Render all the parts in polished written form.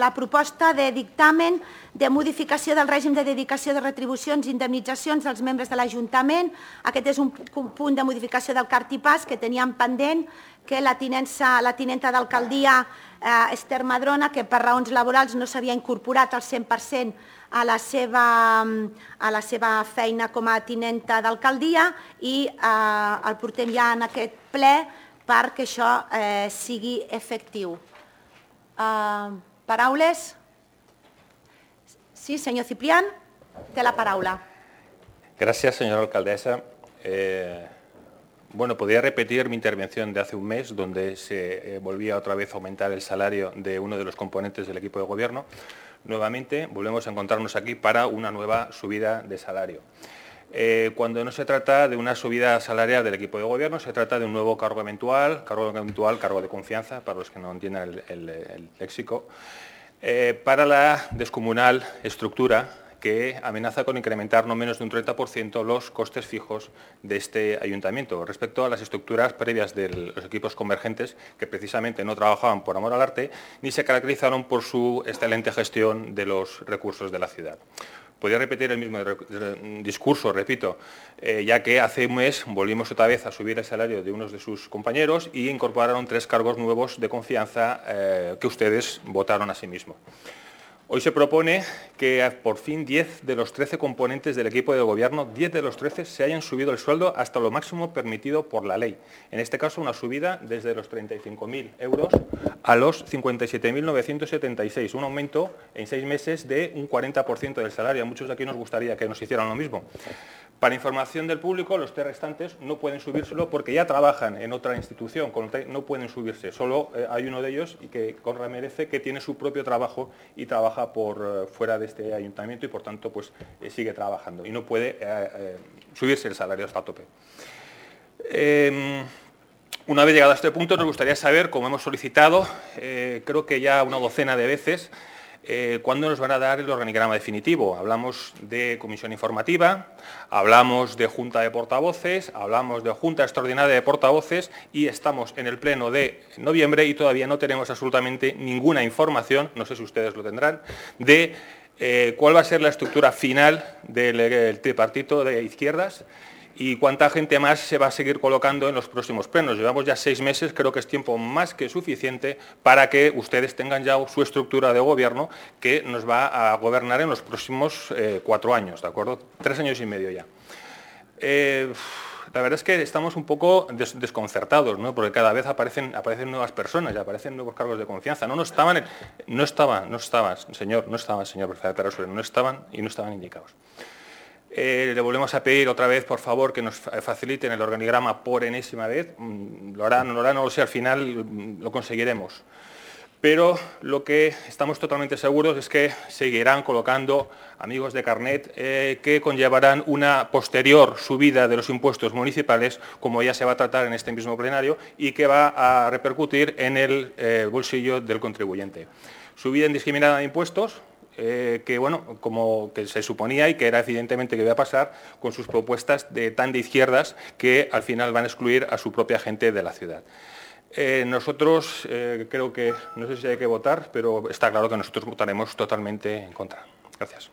la proposta de dictamen de modificació del règim de dedicació de retribucions i indemnitzacions dels membres de l'Ajuntament. Aquest és un punt de modificació del cartipàs que teníem pendent, que la tinenta d'alcaldia Esther Madrona, que per raons laborals no s'havia incorporat al 100% a la seva feina com a tinenta d'alcaldia, i el portem ja en aquest ple perquè això sigui efectiu. Paraules? Sí, senyor Ciprián, té la paraula. Gracias, señora alcaldesa. Bueno, podría repetir mi intervención de hace un mes, donde se volvía otra vez a aumentar el salario de uno de los componentes del equipo de gobierno. Nuevamente volvemos a encontrarnos aquí para una nueva subida de salario. Cuando no se trata de una subida salarial del equipo de gobierno, se trata de un nuevo cargo eventual, cargo de confianza, para los que no entiendan el léxico, para la descomunal estructura que amenaza con incrementar no menos de un 30% los costes fijos de este ayuntamiento respecto a las estructuras previas de los equipos convergentes, que precisamente no trabajaban por amor al arte ni se caracterizaron por su excelente gestión de los recursos de la ciudad. Podría repetir el mismo discurso, repito, ya que hace un mes volvimos otra vez a subir el salario de unos de sus compañeros y incorporaron 3 cargos nuevos de confianza que ustedes votaron a sí mismos. Hoy se propone que por fin 10 de los 13 componentes del equipo de gobierno, 10 de los 13 se hayan subido el sueldo hasta lo máximo permitido por la ley. En este caso, una subida desde los 35.000 euros a los 57.976, un aumento en 6 meses de un 40% del salario. A muchos de aquí nos gustaría que nos hicieran lo mismo. Para información del público, los 3 restantes no pueden subírselo porque ya trabajan en otra institución, no pueden subirse. Solo hay uno de ellos, y que Conra merece, que tiene su propio trabajo y trabaja por fuera de este ayuntamiento y, por tanto, pues sigue trabajando y no puede subirse el salario hasta tope. Una vez llegado a este punto, nos gustaría saber, como hemos solicitado, creo que ya una docena de veces, ¿cuándo nos van a dar el organigrama definitivo? Hablamos de comisión informativa, hablamos de junta de portavoces, hablamos de junta extraordinaria de portavoces y estamos en el pleno de noviembre y todavía no tenemos absolutamente ninguna información, no sé si ustedes lo tendrán, de cuál va a ser la estructura final del tripartito de izquierdas y cuánta gente más se va a seguir colocando en los próximos plenos. Llevamos ya 6 meses, creo que es tiempo más que suficiente para que ustedes tengan ya su estructura de gobierno que nos va a gobernar en los próximos 4 años, ¿de acuerdo? 3 años y medio ya. La verdad es que estamos un poco desconcertados, ¿no? Porque cada vez aparecen nuevas personas y aparecen nuevos cargos de confianza. No estaban, señor prefecto, no estaban indicados. Le volvemos a pedir otra vez, por favor, que nos faciliten el organigrama por enésima vez. Lo harán o no lo harán, no lo sé, al final lo conseguiremos. Pero lo que estamos totalmente seguros es que seguirán colocando amigos de carnet que conllevarán una posterior subida de los impuestos municipales, como ya se va a tratar en este mismo plenario, y que va a repercutir en el bolsillo del contribuyente. Subida indiscriminada de impuestos, que bueno, como que se suponía y que era evidentemente que iba a pasar con sus propuestas tan de izquierdas que al final van a excluir a su propia gente de la ciudad. Nosotros creo que, no sé si hay que votar, pero está claro que nosotros votaremos totalmente en contra. Gracias.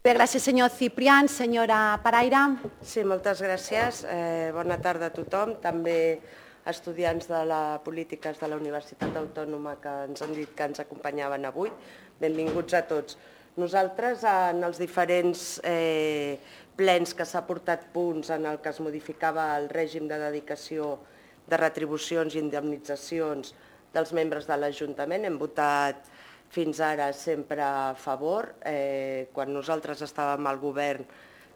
Bé, gràcies, senyor Ciprián. Senyora Paraire. Sí, moltes gràcies. Bona tarda a tothom. També estudiants de la Polítiques de la Universitat Autònoma que ens han dit que ens acompanyaven avui. Benvinguts a tots. Nosaltres, en els diferents plens que s'ha portat punts en el que es modificava el règim de dedicació de retribucions i indemnitzacions dels membres de l'Ajuntament, hem votat fins ara sempre a favor. Quan nosaltres estàvem al govern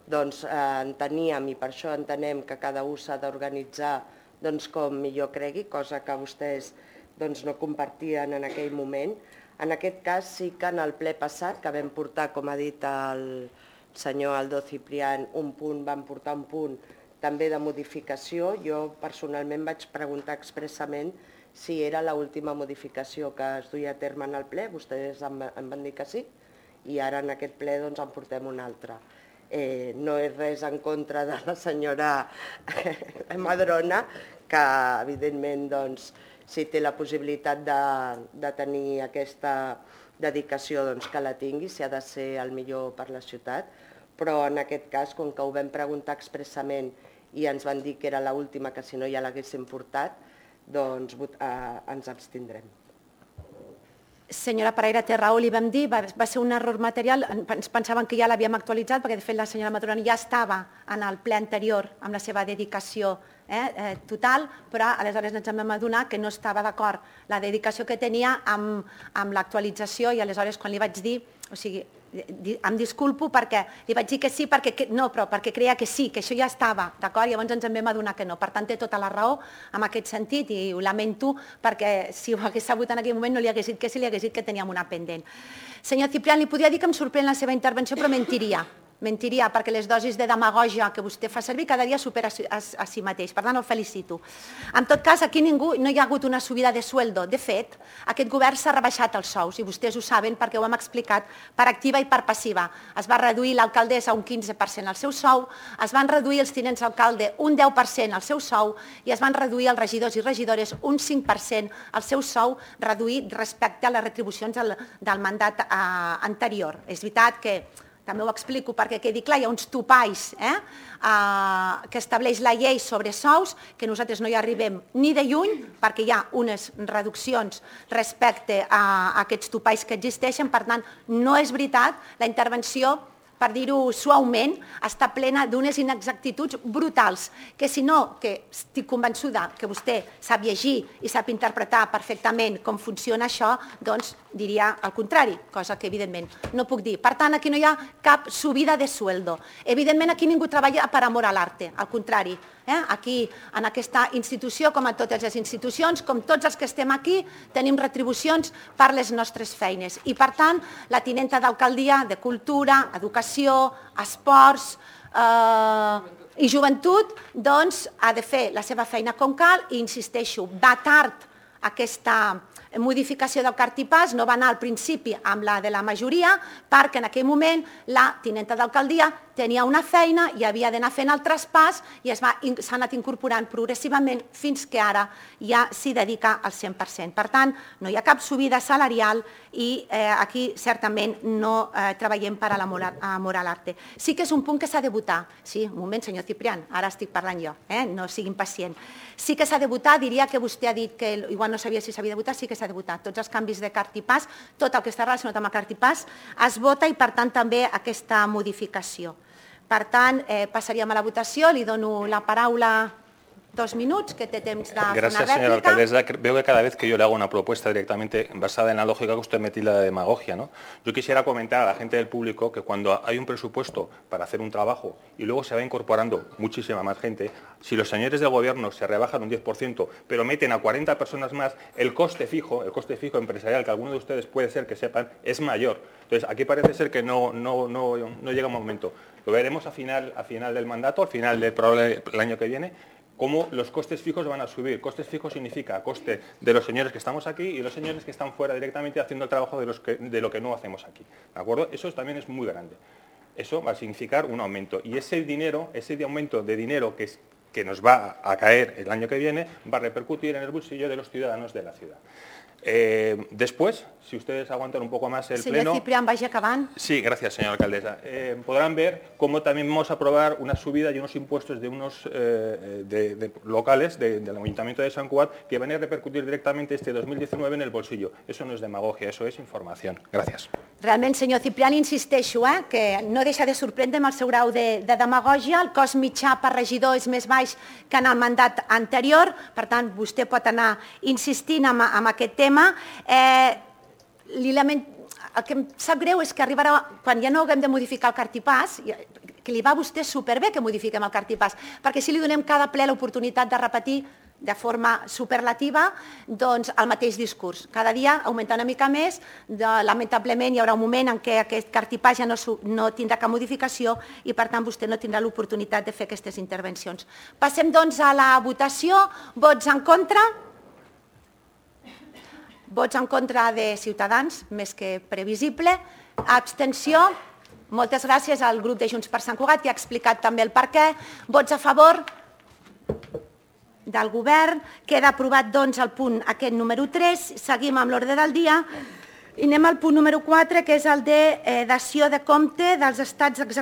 enteníem, i per això entenem que cada un s'ha d'organitzar com millor cregui, cosa que vostès no compartien en aquell moment. En aquest cas sí que en el ple passat, que vam portar, com ha dit el senyor Aldo Ciprián, un punt, vam portar un punt també de modificació. Jo personalment vaig preguntar expressament si era l'última modificació que es duia a terme en el ple, vostès em van dir que sí, i ara en aquest ple en portem una altra. No és res en contra de la senyora Madrona, que evidentment si té la possibilitat de tenir aquesta dedicació, doncs que la tingui, si ha de ser el millor per la ciutat, però en aquest cas, com que ho vam preguntar expressament i ens van dir que era l'última, que si no ja l'haguéssim portat, doncs ens abstindrem. Senyora Pereira, té raó, li vam dir, va ser un error material, ens pensaven que ja l'havíem actualitzat, perquè de fet la senyora Madrona ja estava en el ple anterior amb la seva dedicació total, però aleshores ens vam adonar que no estava d'acord la dedicació que tenia amb l'actualització i aleshores quan li vaig dir, o sigui, em disculpo perquè li vaig dir que sí, perquè creia que sí, que això ja estava, d'acord? Llavors ens en vam adonar que no. Per tant, té tota la raó en aquest sentit i ho lamento perquè si ho hagués sabut en aquell moment no li hagués dit que sí, li hagués dit que teníem una pendent. Senyor Ciprián, li podria dir que em sorprèn la seva intervenció, però mentiria. Mentiria, perquè les dosis de demagògia que vostè fa servir cada dia supera a si mateix. Per tant, el felicito. En tot cas, aquí no hi ha hagut una subida de sueldo. De fet, aquest govern s'ha rebaixat els sous, i vostès ho saben perquè ho hem explicat per activa i per passiva. Es va reduir l'alcaldessa un 15% al seu sou, es van reduir els tinents d'alcalde un 10% al seu sou i es van reduir els regidors i regidores un 5% al seu sou, reduït respecte a les retribucions del mandat anterior. És veritat que també ho explico perquè quedi clar, hi ha uns topalls que estableix la llei sobre sous, que nosaltres no hi arribem ni de lluny, perquè hi ha unes reduccions respecte a aquests topalls que existeixen, per tant, no és veritat, la intervenció, per dir-ho suaument, està plena d'unes inexactituds brutals, que si no, que estic convençuda que vostè sap llegir i sap interpretar perfectament com funciona això, doncs diria el contrari, cosa que evidentment no puc dir. Per tant, aquí no hi ha cap subida de sueldo. Evidentment, aquí ningú treballa per amor a l'arte, al contrari. Aquí, en aquesta institució, com a totes les institucions, com tots els que estem aquí, tenim retribucions per les nostres feines. I, per tant, la tinenta d'alcaldia de Cultura, Educació, Esports i Joventut, doncs, ha de fer la seva feina com cal i, insisteixo, va tard aquesta modificació del cartipàs, no va anar al principi amb la de la majoria, perquè en aquell moment la tinenta d'alcaldia tenia una feina i havia d'anar fent el traspàs i s'ha anat incorporant progressivament fins que ara ja s'hi dedica al 100%. Per tant, no hi ha cap subida salarial i aquí certament no treballem per amor a l'arte. Sí que és un punt que s'ha de votar. Sí, un moment, senyor Ciprián, ara estic parlant jo, no sigui impacient. Sí que s'ha de votar, diria que vostè ha dit que igual no sabia si s'havia de votar, sí que s'ha de votar. Tots els canvis de cartipàs, tot el que està relacionat amb el cartipàs es vota i per tant també aquesta modificació. Per tant, passaríem a la votació. Li dono la paraula 2 minutos, que té temps de fer una rèplica. Gracias, señora alcaldesa. Veo que cada vez que yo le hago una propuesta directamente basada en la lógica que usted me tilda de demagogia, ¿no? Yo quisiera comentar a la gente del público que cuando hay un presupuesto para hacer un trabajo y luego se va incorporando muchísima más gente, si los señores del gobierno se rebajan un 10%, pero meten a 40 personas más, el coste fijo empresarial, que algunos de ustedes puede ser que sepan, es mayor. Entonces, aquí parece ser que no llega un momento. Lo veremos a final del mandato, al final del año que viene, cómo los costes fijos van a subir. Costes fijos significa coste de los señores que estamos aquí y los señores que están fuera directamente haciendo el trabajo de lo que no hacemos aquí. ¿De acuerdo? Eso también es muy grande. Eso va a significar un aumento. Y ese aumento de dinero que nos va a caer el año que viene va a repercutir en el bolsillo de los ciudadanos de la ciudad. Después, si ustedes aguantan un poco más el pleno... Señor Ciprián, vaya acabant. Sí, gracias, señora alcaldesa. Podrán ver cómo también vamos a aprobar una subida y unos impuestos de unos locales del Ayuntamiento de Sant Cugat que van a repercutir directamente este 2019 en el bolsillo. Eso no es demagogia, eso es información. Gracias. Realment, senyor Ciprián, insisteixo que no deixa de sorprendre amb el seu grau de demagògia. El cost mitjà per regidor és més baix que en el mandat anterior, per tant, vostè pot anar insistint en aquest tema. El que em sap greu és que arribarà, quan ja no haguem de modificar el cartipàs, que li va a vostè superbé que modifiquem el cartipàs, perquè si li donem cada ple l'oportunitat de repetir de forma superlativa doncs, el mateix discurs. Cada dia augmenta una mica més, lamentablement hi haurà un moment en què aquest cartipàs ja no tindrà cap modificació i per tant vostè no tindrà l'oportunitat de fer aquestes intervencions. Passem doncs a la votació. Vots en contra? Vots en contra de Ciutadans, més que previsible. Abstenció? Moltes gràcies al grup de Junts per Sant Cugat, que ha explicat també el per què. Vots a favor? del govern. Queda aprovat, doncs, el punt aquest número 3. Seguim amb l'ordre del dia. I anem al punt número 4, que és el de dació de compte dels estats executius